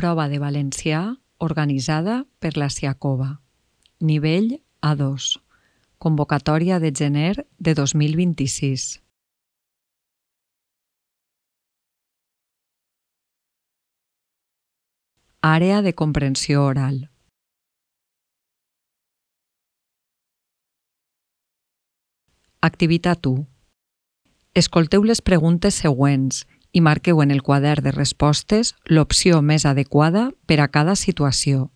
Prova de valencià organitzada per la Siacova. Nivell A2. Convocatòria de gener de 2026. Àrea de comprensió oral. Activitat 1. Escolteu les preguntes següents i marqueu en el quadern de respostes l'opció més adequada per a cada situació.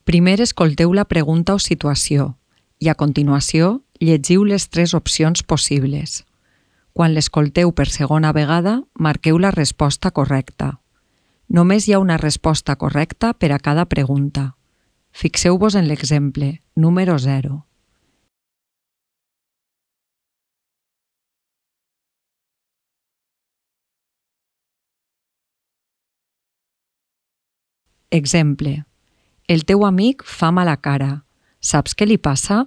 Primer escolteu la pregunta o situació i a continuació llegiu les 3 opcions possibles. Quan l'escolteu per segona vegada, marqueu la resposta correcta. Només hi ha una resposta correcta per a cada pregunta. Fixeu-vos en l'exemple, número 0. Exemple. El teu amic fa mala cara. Saps què li passa?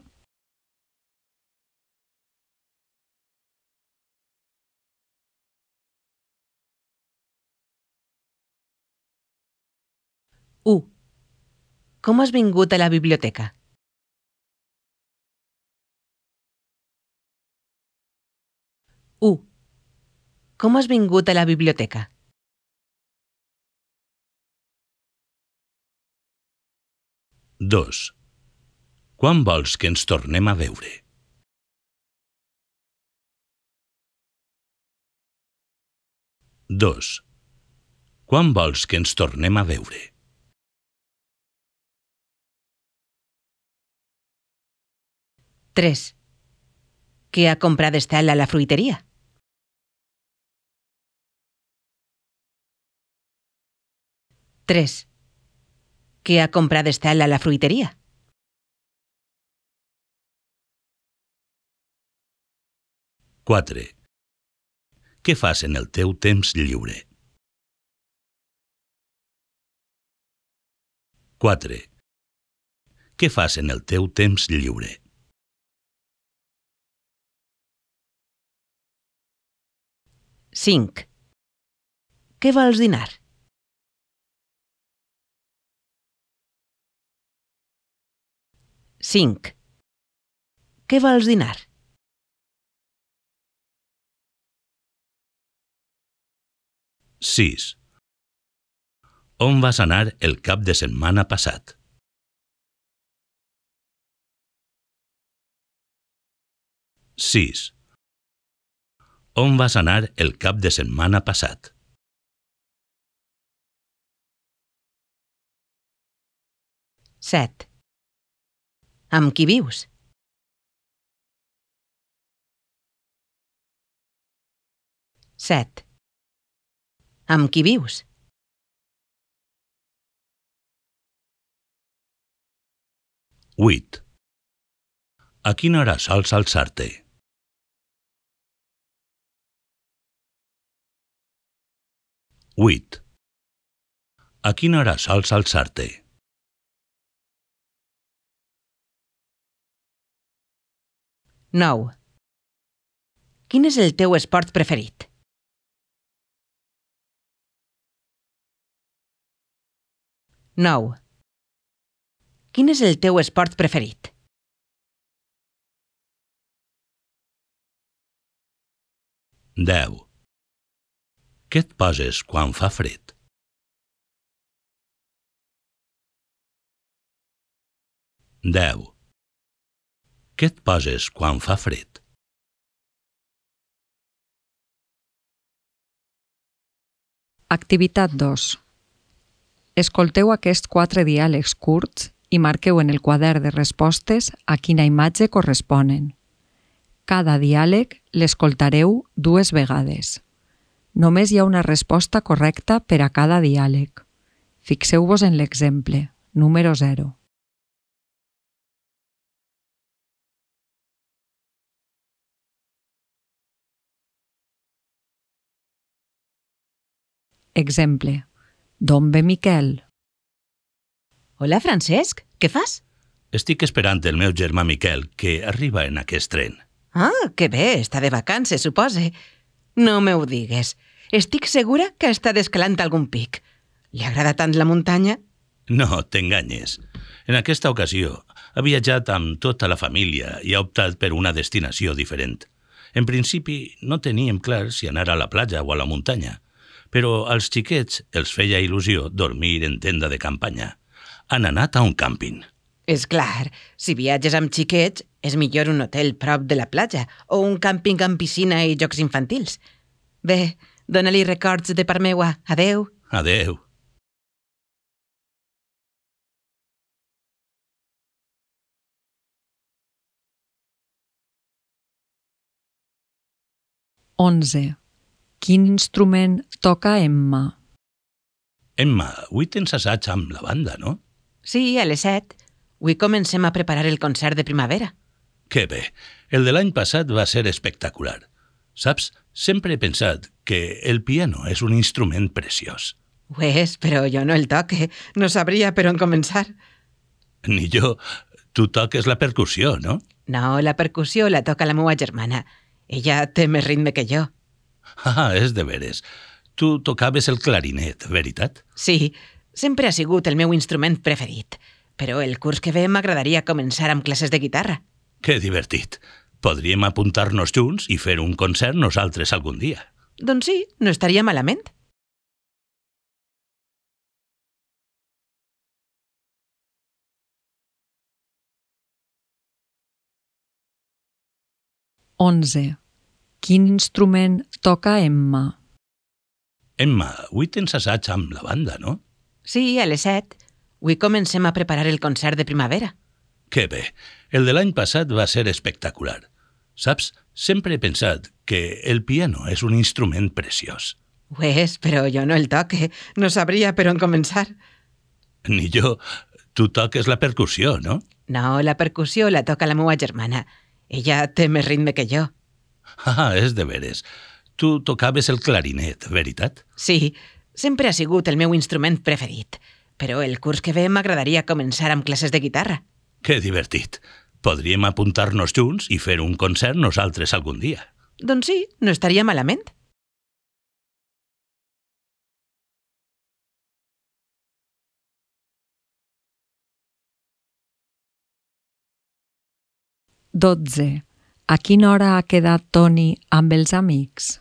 Com has vingut a la biblioteca? 1. Com has vingut a la biblioteca? 2. Quan vols que ens tornem a veure? 2. Quan vols que ens tornem a veure? 3. Què ha comprat Estel a la fruiteria? 3. Què ha comprat Estel a la fruiteria? 4. Què fas en el teu temps lliure? 4. Què fas en el teu temps lliure? 5. Què vols dinar? 5. Què vols dinar? 6. On vas anar el cap de setmana passat? 6. On vas anar el cap de setmana passat? 7. Amb qui vius? 7. Amb qui vius? 8. A quina hora sols alçar-te? 8. A quina hora sols alçar-te? 9. Quin és el teu esport preferit? 9. Quin és el teu esport preferit? 10. Què et poses quan fa fred? 10. Què et poses quan fa fred? Activitat 2. Escolteu aquests 4 diàlegs curts i marqueu en el quadern de respostes a quina imatge corresponen. Cada diàleg l'escoltareu 2 vegades. Només hi ha una resposta correcta per a cada diàleg. Fixeu-vos en l'exemple, número 0. Exemple. D'on ve Miquel? Hola, Francesc. Què fas? Estic esperant el meu germà Miquel, que arriba en aquest tren. Ah, que bé, està de vacances, supose. No me ho digues. Estic segura que està descalant algun pic. Li agrada tant la muntanya? No, t'enganyes. En aquesta ocasió ha viatjat amb tota la família i ha optat per una destinació diferent. En principi no teníem clar si anar a la platja o a la muntanya, però als xiquets els feia il·lusió dormir en tenda de campanya. Han anat a un càmping. És clar, si viatges amb xiquets, és millor un hotel prop de la platja o un càmping amb piscina i jocs infantils. Bé, dóna-li records de part meua. Adeu. Adeu. Onze. Quin instrument toca Emma? Emma, avui tens assaig amb la banda, no? Sí, a les 7. Avui comencem a preparar el concert de primavera. Que bé, el de l'any passat va ser espectacular. Saps, sempre he pensat que el piano és un instrument preciós. Ho és, però jo no el toque. No sabria per on començar. Ni jo. Tu toques la percussió, no? No, la percussió la toca la meva germana. Ella té més ritme que jo. Ah, és de veres. Tu tocaves el clarinet, veritat? Sí, sempre ha sigut el meu instrument preferit. Però el curs que ve m'agradaria començar amb classes de guitarra. Que divertit. Podríem apuntar-nos junts i fer un concert nosaltres algun dia. Doncs sí, no estaria malament. Onze. Quin instrument toca Emma? Emma, avui tens assaig amb la banda, no? Sí, a les 7. Avui comencem a preparar el concert de primavera. Que bé, el de l'any passat va ser espectacular. Saps, sempre he pensat que el piano és un instrument preciós. Ho és, però jo no el toque. No sabria per on començar. Ni jo. Tu toques la percussió, no? No, la percussió la toca la meva germana. Ella té més ritme que jo. Ah, és de veres. Tu tocaves el clarinet, veritat? Sí, sempre ha sigut el meu instrument preferit. Però el curs que ve m'agradaria començar amb classes de guitarra. Que divertit. Podríem apuntar-nos junts i fer un concert nosaltres algun dia. Doncs sí, no estaria malament. Dotze. A quina hora ha quedat Toni amb els amics?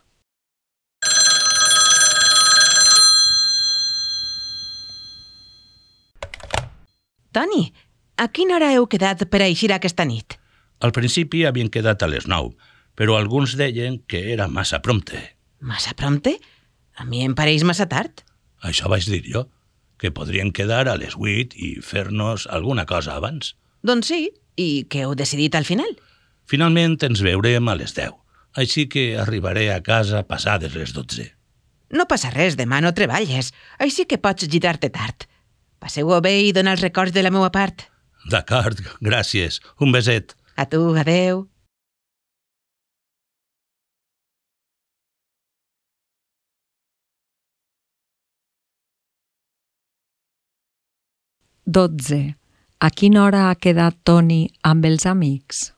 Toni, a quina hora heu quedat per a eixir aquesta nit? Al principi havien quedat a les 9, però alguns deien que era massa prompte. Massa prompte? A mi em pareix massa tard. Això vaig dir jo, que podrien quedar a les 8 i fer-nos alguna cosa abans. Doncs sí, i què heu decidit al final? Finalment ens veurem a les 10, així que arribaré a casa passades les 12. No passa res, demà no treballes, així que pots girar-te tard. Passeu-ho bé i dona els records de la meva part. D'acord, gràcies. Un beset. A tu, adeu. Dotze. A quina hora ha quedat Toni amb els amics?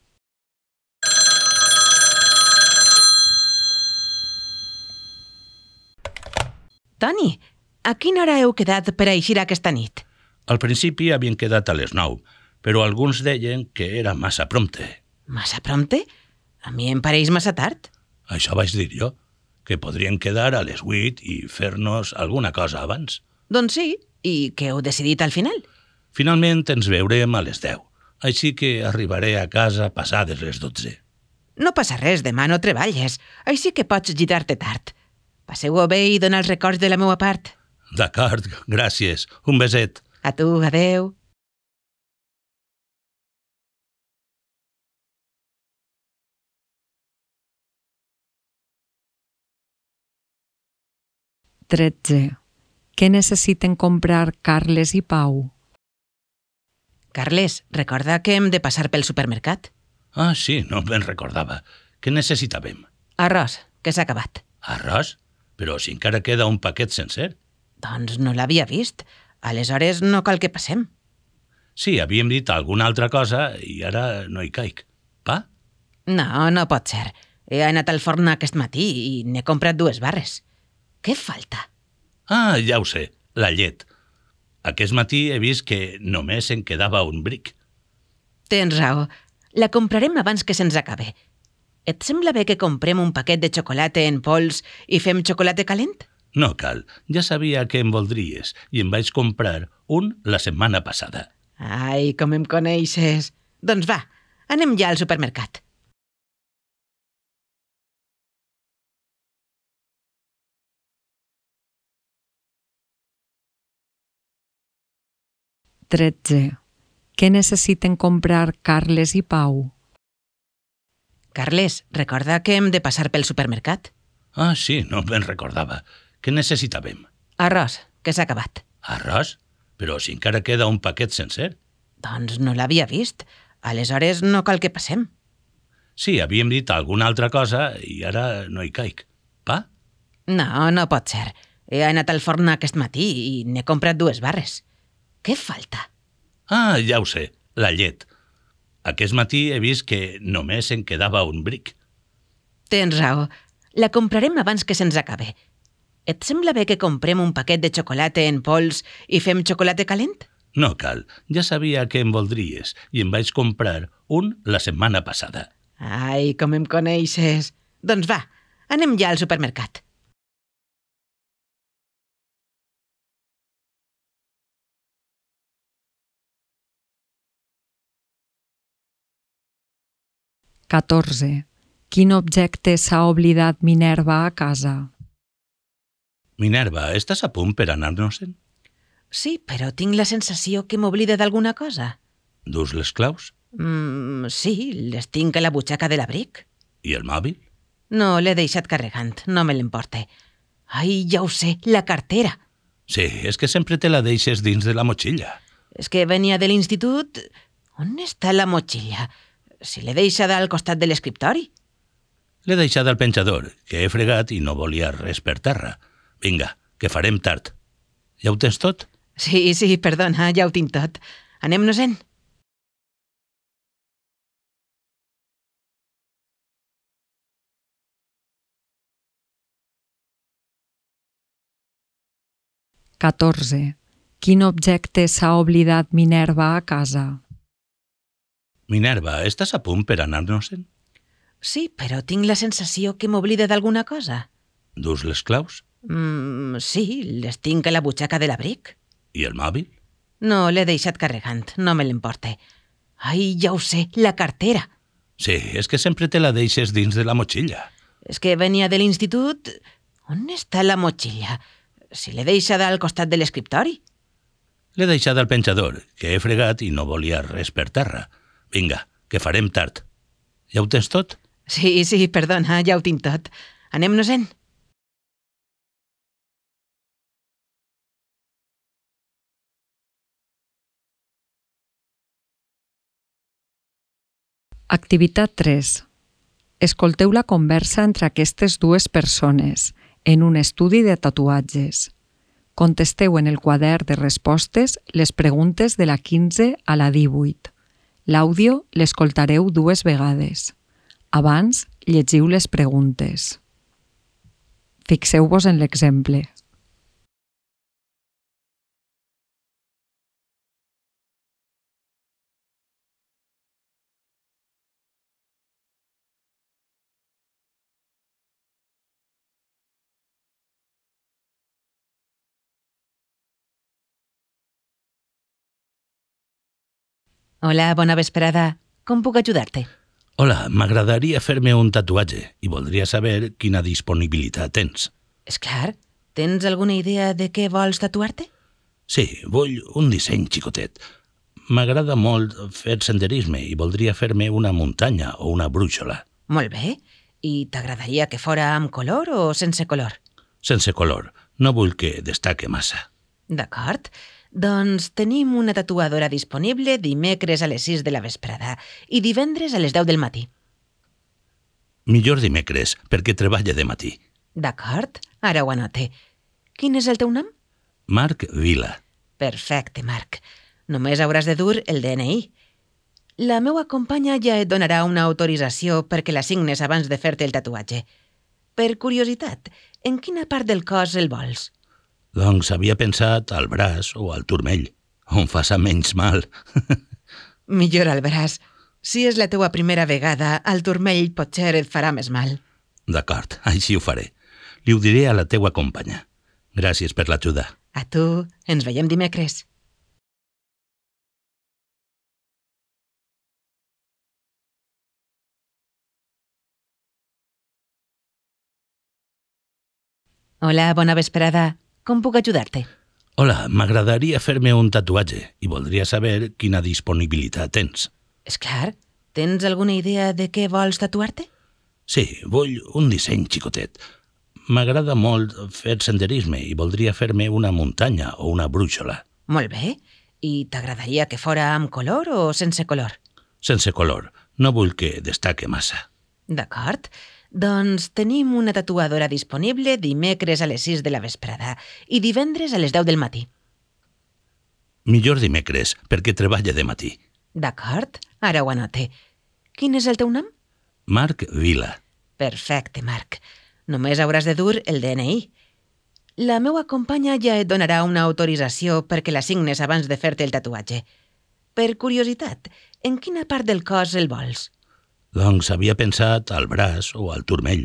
Toni, a quina hora heu quedat per a eixir aquesta nit? Al principi havien quedat a les 9, però alguns deien que era massa prompte. Massa prompte? A mi em pareix massa tard. Això vaig dir jo, que podrien quedar a les 8 i fer-nos alguna cosa abans. Doncs sí, i què heu decidit al final? Finalment ens veurem a les 10, així que arribaré a casa passades les 12. No passa res, demà no treballes, així que pots girar-te tard. Passeu-ho bé i dona els records de la meva part. D'acord, gràcies. Un beset. A tu, adeu. Tretze. Què necessiten comprar Carles i Pau? Carles, recorda que hem de passar pel supermercat. Ah, sí, no me'n recordava. Què necessitàvem? Arròs, que s'ha acabat. Arròs? Però si encara queda un paquet sencer. Doncs no l'havia vist. Aleshores no cal que passem. Sí, havíem dit alguna altra cosa i ara no hi caic. Pa? No, no pot ser. He anat al forn aquest matí i n'he comprat 2 barres. Què falta? Ah, ja ho sé. la llet. Aquest matí he vist que només en quedava un bric. Tens raó. La comprarem abans que se'ns acabe. Et sembla bé que comprem un paquet de xocolata en pols i fem xocolata calent? No cal, ja sabia que em voldries i em vaig comprar un la setmana passada. Ai, com em coneixes. Doncs va, anem ja al supermercat. Tretze. Què necessiten comprar Carles i Pau? Carles, recorda que hem de passar pel supermercat. Ah, sí, no me'n recordava. Què necessitàvem? Arròs, que s'ha acabat. Arròs? Però si encara queda un paquet sencer. Doncs no l'havia vist. Aleshores no cal que passem. Sí, havíem dit alguna altra cosa i ara no hi caic. Pa? No, no pot ser. He anat al forn aquest matí i n'he comprat 2 barres. Què falta? Ah, ja ho sé, la llet. Aquest matí he vist que només en quedava un bric. Tens raó. La comprarem abans que se'ns acabe. Et sembla bé que comprem un paquet de xocolata en pols i fem xocolata calent? No cal, ja sabia que em voldries i em vaig comprar un la setmana passada. Ai, com em coneixes. Doncs va, anem ja al supermercat. Catorze. Quin objecte s'ha oblidat Minerva a casa? Minerva, estàs a punt per anar-nos-en? Sí, però tinc la sensació que m'oblida d'alguna cosa. Dus les claus? Sí, les tinc a la butxaca de l'abric. I el mòbil? No, l'he deixat carregant, no me l'emporte. Ai, ja ho sé, la cartera. Sí, és que sempre te la deixes dins de la motxilla. És que venia de l'institut... On està la motxilla? Si l'he deixada al costat de l'escriptori. L'he deixat al penjador, que he fregat i no volia res per terra. Vinga, que farem tard. Ja ho tens tot? Sí, perdona, ja ho tinc tot. Anem-nos-en. Catorze. Quin objecte s'ha oblidat Minerva a casa? Minerva, estàs a punt per anar-nos-en? Sí, però tinc la sensació que m'oblida d'alguna cosa. Dus les claus? Sí, les tinc a la butxaca de l'abric. I el mòbil? No, l'he deixat carregant, no me l'emporte. Ai, ja ho sé, la cartera. Sí, és que sempre te la deixes dins de la motxilla. És que venia de l'institut... On està la motxilla? Si l'he deixada al costat de l'escriptori. L'he deixat al penjador, que he fregat i no volia res per terra. Vinga, que farem tard. Ja ho tens tot? Sí, perdona, ja ho tinc tot. Anem-nos-en. Activitat 3. Escolteu la conversa entre aquestes dues persones en un estudi de tatuatges. Contesteu en el quadern de respostes les preguntes de la 15 a la 18. L'àudio l'escoltareu 2 vegades. Abans, llegiu les preguntes. Fixeu-vos en l'exemple. Hola, bona vesprada. Com puc ajudar-te? Hola, m'agradaria fer-me un tatuatge i voldria saber quina disponibilitat tens. És clar. Tens alguna idea de què vols tatuar-te? Sí, vull un disseny xicotet. M'agrada molt fer senderisme i voldria fer-me una muntanya o una brúixola. Molt bé. I t'agradaria que fora amb color o sense color? Sense color. No vull que destaque massa. D'acord. Doncs tenim una tatuadora disponible dimecres a les 6 de la vesprada i divendres a les 10 del matí. Millor dimecres, perquè treballa de matí. D'acord, ara ho anote. Quin és el teu nom? Marc Vila. Perfecte, Marc. Només hauràs de dur el DNI. La meua companya ja et donarà una autorització perquè la signes abans de fer-te el tatuatge. Per curiositat, en quina part del cos el vols? Doncs havia pensat al braç o al turmell, on faça menys mal. Millor al braç. Si és la teua primera vegada, el turmell potser et farà més mal. D'acord, així ho faré. Li ho diré a la teua companya. Gràcies per l'ajuda. A tu, ens veiem dimecres. Hola, bona vesprada. Com puc ajudar-te? Hola, m'agradaria fer-me un tatuatge i voldria saber quina disponibilitat tens. És clar. Tens alguna idea de què vols tatuar-te? Sí, vull un disseny xicotet. M'agrada molt fer senderisme i voldria fer-me una muntanya o una brúixola. Molt bé. I t'agradaria que fora amb color o sense color? Sense color. No vull que destaque massa. D'acord. Doncs tenim una tatuadora disponible dimecres a les 6 de la vesprada i divendres a les 10 del matí. Millor dimecres, perquè treballa de matí. D'acord, ara ho anote. Quin és el teu nom? Marc Vila. Perfecte, Marc. Només hauràs de dur el DNI. La meua companya ja et donarà una autorització perquè la signes abans de fer-te el tatuatge. Per curiositat, en quina part del cos el vols? Doncs havia pensat al braç o al turmell,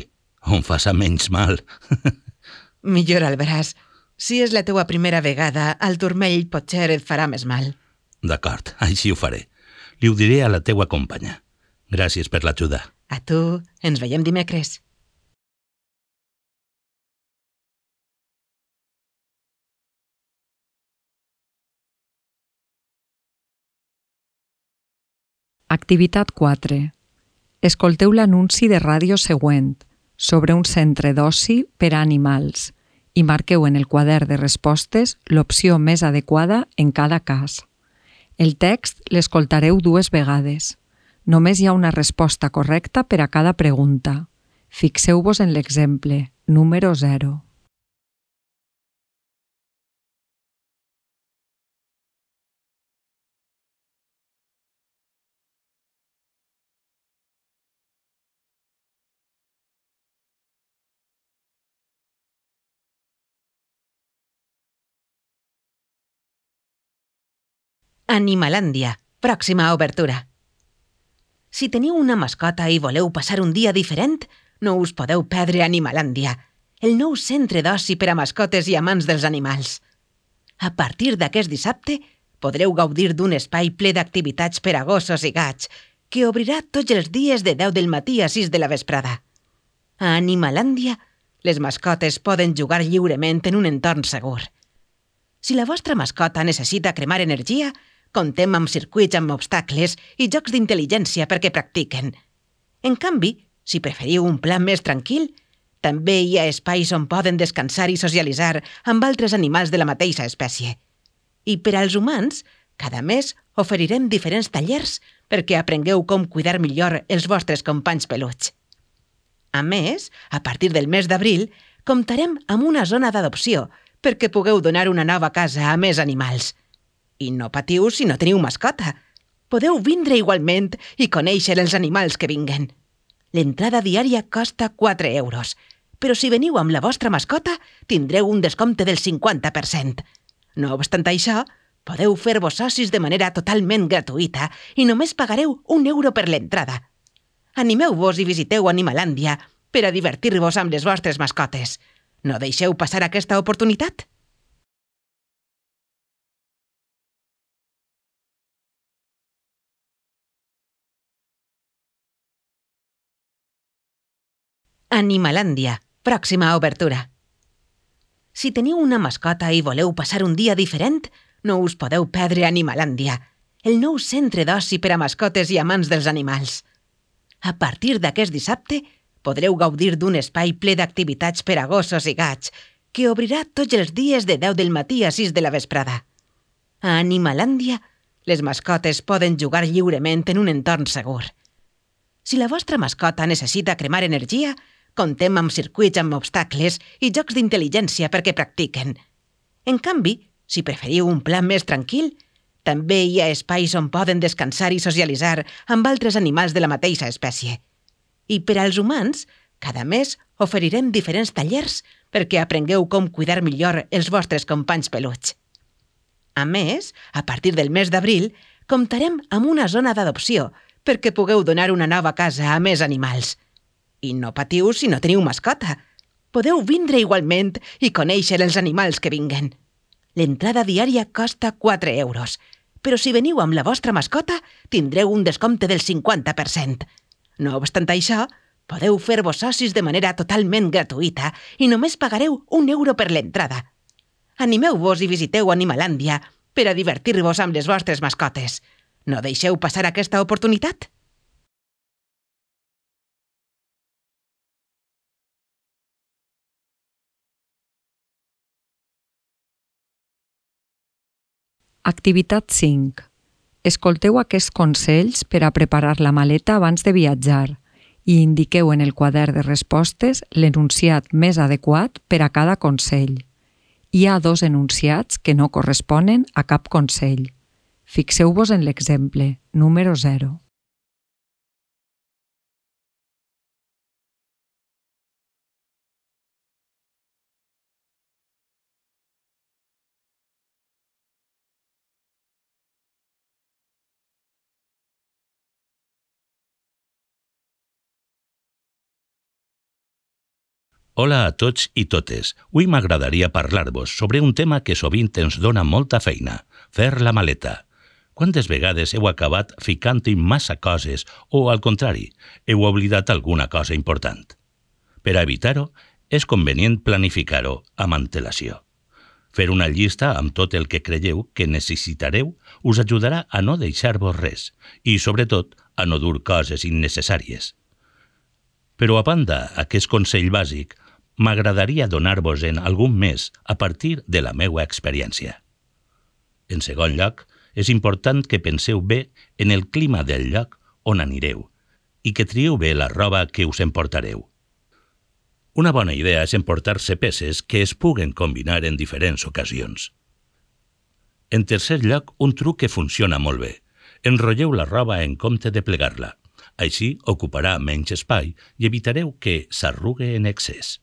on faça menys mal. Millor al braç. Si és la teua primera vegada, el turmell potser et farà més mal. D'acord, així ho faré. Li ho diré a la teua companya. Gràcies per l'ajuda. A tu, ens veiem dimecres. Activitat 4. Escolteu l'anunci de ràdio següent sobre un centre d'oci per a animals i marqueu en el quadern de respostes l'opció més adequada en cada cas. El text l'escoltareu 2 vegades. Només hi ha una resposta correcta per a cada pregunta. Fixeu-vos en l'exemple, número 0. Animalàndia, pròxima obertura. Si teniu una mascota i voleu passar un dia diferent, no us podeu perdre Animalàndia, el nou centre d'oci per a mascotes i amants dels animals. A partir d'aquest dissabte, podreu gaudir d'un espai ple d'activitats per a gossos i gats, que obrirà tots els dies de 10 del matí a 6 de la vesprada. A Animalàndia, les mascotes poden jugar lliurement en un entorn segur. Si la vostra mascota necessita cremar energia, contem amb circuits amb obstacles i jocs d'intel·ligència perquè practiquen. En canvi, si preferiu un plan més tranquil, també hi ha espais on poden descansar i socialitzar amb altres animals de la mateixa espècie. I per als humans, cada mes oferirem diferents tallers perquè aprengueu com cuidar millor els vostres companys peluts. A més, a partir del mes d'abril, comptarem amb una zona d'adopció perquè pugueu donar una nova casa a més animals. I no patiu si no teniu mascota. Podeu vindre igualment i conèixer els animals que vinguen. L'entrada diària costa 4 euros, però si veniu amb la vostra mascota, tindreu un descompte del 50%. No obstant això, podeu fer-vos socis de manera totalment gratuïta i només pagareu 1 euro per l'entrada. Animeu-vos i visiteu Animalàndia per a divertir-vos amb les vostres mascotes. No deixeu passar aquesta oportunitat? Animalàndia, pròxima obertura. Si teniu una mascota i voleu passar un dia diferent, no us podeu perdre Animalàndia, el nou centre d'oci per a mascotes i amants dels animals. A partir d'aquest dissabte, podreu gaudir d'un espai ple d'activitats per a gossos i gats, que obrirà tots els dies de 10 del matí a 6 de la vesprada. A Animalàndia, les mascotes poden jugar lliurement en un entorn segur. Si la vostra mascota necessita cremar energia, contem amb circuits amb obstacles i jocs d'intel·ligència perquè practiquen. En canvi, si preferiu un plan més tranquil, també hi ha espais on poden descansar i socialitzar amb altres animals de la mateixa espècie. I per als humans, cada mes oferirem diferents tallers perquè aprengueu com cuidar millor els vostres companys peluts. A més, a partir del mes d'abril, comptarem amb una zona d'adopció perquè pugueu donar una nova casa a més animals. I no patiu si no teniu mascota. Podeu vindre igualment i conèixer els animals que vinguen. L'entrada diària costa 4 euros, però si veniu amb la vostra mascota tindreu un descompte del 50%. No obstant això, podeu fer-vos socis de manera totalment gratuïta i només pagareu 1 euro per l'entrada. Animeu-vos i visiteu Animalàndia per a divertir-vos amb les vostres mascotes. No deixeu passar aquesta oportunitat. Activitat 5. Escolteu aquests consells per a preparar la maleta abans de viatjar i indiqueu en el quadern de respostes l'enunciat més adequat per a cada consell. Hi ha 2 enunciats que no corresponen a cap consell. Fixeu-vos en l'exemple, número 0. Hola a tots i totes. Avui m'agradaria parlar-vos sobre un tema que sovint ens dona molta feina, fer la maleta. Quantes vegades heu acabat ficant-hi massa coses o, al contrari, heu oblidat alguna cosa important? Per a evitar-ho, és convenient planificar-ho amb antelació. Fer una llista amb tot el que creieu que necessitareu us ajudarà a no deixar-vos res i, sobretot, a no dur coses innecessàries. Però, a banda aquest consell bàsic, m'agradaria donar-vos-en algun més a partir de la meva experiència. En segon lloc, és important que penseu bé en el clima del lloc on anireu i que trieu bé la roba que us emportareu. Una bona idea és emportar-se peces que es puguen combinar en diferents ocasions. En tercer lloc, un truc que funciona molt bé. Enrotlleu la roba en compte de plegar-la. Així ocuparà menys espai i evitareu que s'arrugue en excés.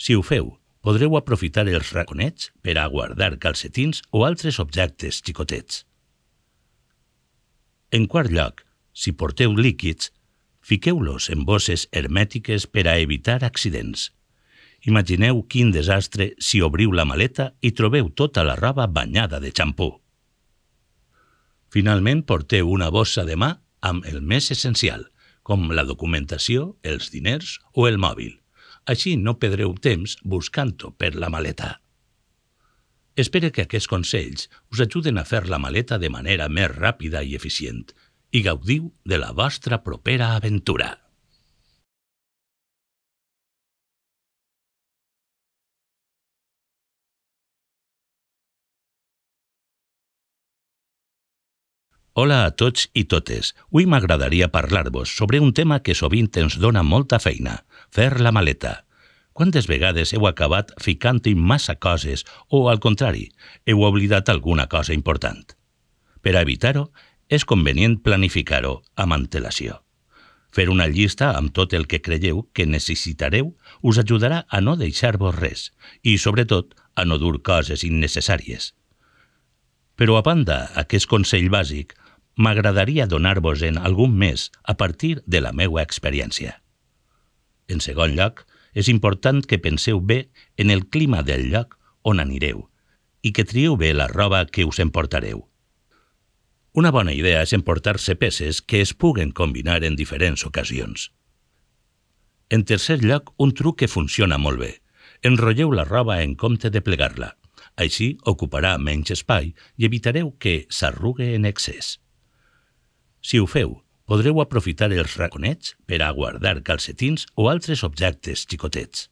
Si ho feu, podreu aprofitar els raconets per a guardar calcetins o altres objectes xicotets. En quart lloc, si porteu líquids, fiqueu-los en bosses hermètiques per a evitar accidents. Imagineu quin desastre si obriu la maleta i trobeu tota la roba banyada de xampú. Finalment, porteu una bossa de mà amb el més essencial, com la documentació, els diners o el mòbil. Així no perdreu temps buscant-ho per la maleta. Espero que aquests consells us ajuden a fer la maleta de manera més ràpida i eficient i gaudiu de la vostra propera aventura. Hola a tots i totes. Avui m'agradaria parlar-vos sobre un tema que sovint ens dona molta feina, fer la maleta. Quantes vegades heu acabat ficant-hi massa coses o, al contrari, heu oblidat alguna cosa important? Per a evitar-ho, és convenient planificar-ho amb antelació. Fer una llista amb tot el que creieu que necessitareu us ajudarà a no deixar-vos res i, sobretot, a no dur coses innecessàries. Però, a banda aquest consell bàsic, m'agradaria donar-vos-en algun més a partir de la meva experiència. En segon lloc, és important que penseu bé en el clima del lloc on anireu i que trieu bé la roba que us emportareu. Una bona idea és emportar-se peces que es puguen combinar en diferents ocasions. En tercer lloc, un truc que funciona molt bé. Enrotlleu la roba en compte de plegar-la. Així ocuparà menys espai i evitareu que s'arrugue en excés. Si ho feu, podreu aprofitar els raconets per a guardar calcetins o altres objectes xicotets.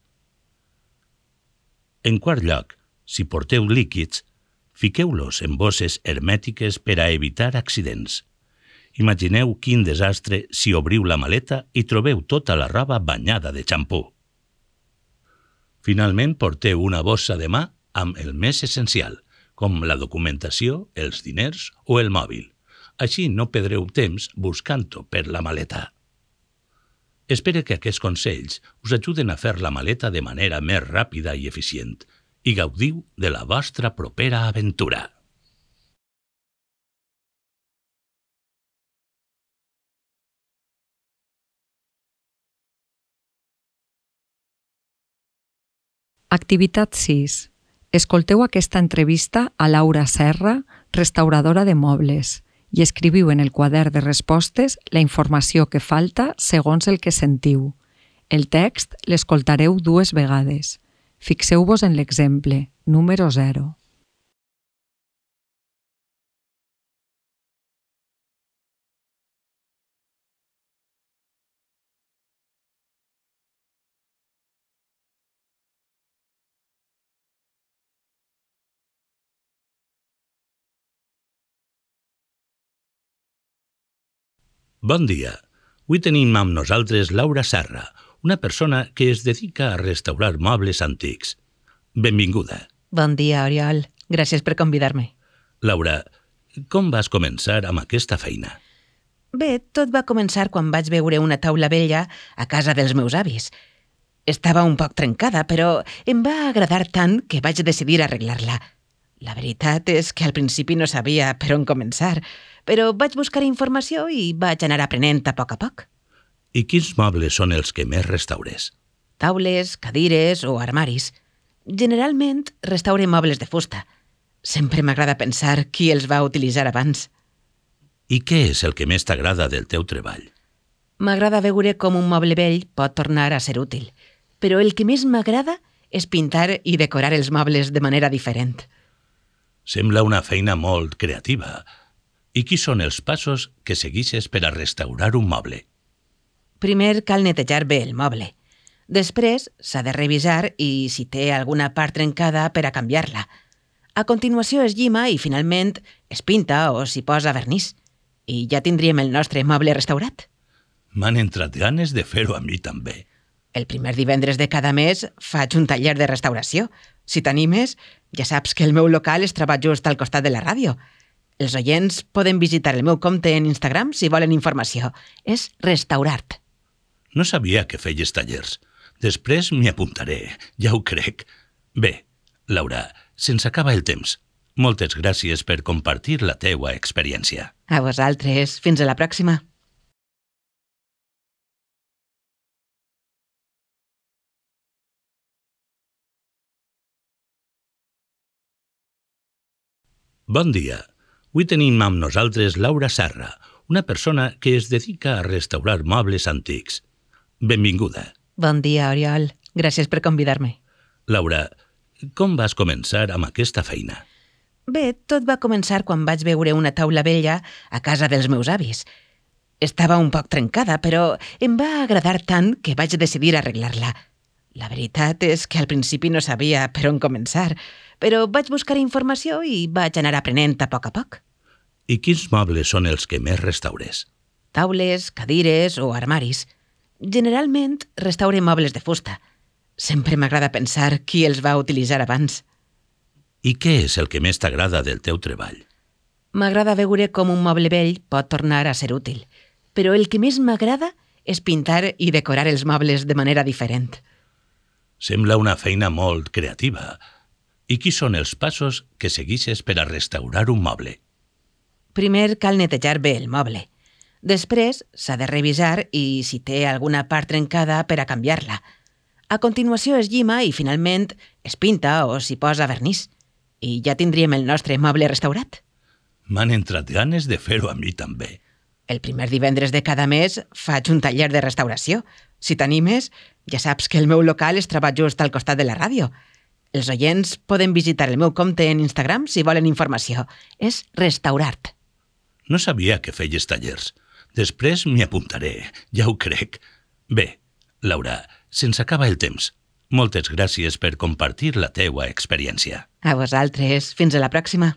En quart lloc, si porteu líquids, fiqueu-los en bosses hermètiques per a evitar accidents. Imagineu quin desastre si obriu la maleta i trobeu tota la roba banyada de xampú. Finalment, porteu una bossa de mà amb el més essencial, com la documentació, els diners o el mòbil. Així no perdreu temps buscant-ho per la maleta. Espero que aquests consells us ajuden a fer la maleta de manera més ràpida i eficient i gaudiu de la vostra propera aventura. Activitat 6. Escolteu aquesta entrevista a Laura Serra, restauradora de mobles, i escriviu en el quadern de respostes la informació que falta segons el que sentiu. El text l'escoltareu 2 vegades. Fixeu-vos en l'exemple, número 0. Bon dia. Avui tenim amb nosaltres Laura Serra, una persona que es dedica a restaurar mobles antics. Benvinguda. Bon dia, Oriol. Gràcies per convidar-me. Laura, com vas començar amb aquesta feina? Bé, tot va començar quan vaig veure una taula vella a casa dels meus avis. Estava un poc trencada, però em va agradar tant que vaig decidir arreglar-la. La veritat és que al principi no sabia per on començar, però vaig buscar informació i vaig anar aprenent a poc. I quins mobles són els que més restaures? Taules, cadires o armaris. Generalment restaure mobles de fusta. Sempre m'agrada pensar qui els va utilitzar abans. I què és el que més t'agrada del teu treball? M'agrada veure com un moble vell pot tornar a ser útil, però el que més m'agrada és pintar i decorar els mobles de manera diferent. Sembla una feina molt creativa. I quins són els passos que segueixes per a restaurar un moble? Primer cal netejar bé el moble. Després s'ha de revisar i si té alguna part trencada per a canviar-la. A continuació es llima i finalment es pinta o s'hi posa vernís. I ja tindríem el nostre moble restaurat. M'han entrat ganes de fer-ho a mi també. El primer divendres de cada mes faig un taller de restauració. Si t'animes, ja saps que el meu local es troba just al costat de la ràdio. Els oients poden visitar el meu compte en Instagram si volen informació. És Restaurart. No sabia que feies tallers. Després m'hi apuntaré, ja ho crec. Bé, Laura, se'ns acaba el temps. Moltes gràcies per compartir la teua experiència. A vosaltres. Fins a la pròxima. Bon dia. Avui tenim amb nosaltres Laura Serra, una persona que es dedica a restaurar mobles antics. Benvinguda. Bon dia, Oriol. Gràcies per convidar-me. Laura, com vas començar amb aquesta feina? Bé, tot va començar quan vaig veure una taula vella a casa dels meus avis. Estava un poc trencada, però em va agradar tant que vaig decidir arreglar-la. La veritat és que al principi no sabia per on començar, però vaig buscar informació i vaig anar aprenent a poc. I quins mobles són els que més restaures? Taules, cadires o armaris. Generalment restaure mobles de fusta. Sempre m'agrada pensar qui els va utilitzar abans. I què és el que més t'agrada del teu treball? M'agrada veure com un moble vell pot tornar a ser útil, però el que més m'agrada és pintar i decorar els mobles de manera diferent. Sembla una feina molt creativa. I quins són els passos que segueixes per a restaurar un moble? Primer cal netejar bé el moble. Després s'ha de revisar i si té alguna part trencada per a canviar-la. A continuació es llima i finalment es pinta o s'hi posa vernís. I ja tindríem el nostre moble restaurat. M'han entrat ganes de fer-ho a mi també. El primer divendres de cada mes faig un taller de restauració. Si t'animes, ja saps que el meu local es troba just al costat de la ràdio. Els oients poden visitar el meu compte en Instagram si volen informació. És Restaurart. No sabia que feies tallers. Després m'hi apuntaré, ja ho crec. Bé, Laura, se'ns acaba el temps. Moltes gràcies per compartir la teua experiència. A vosaltres. Fins a la pròxima.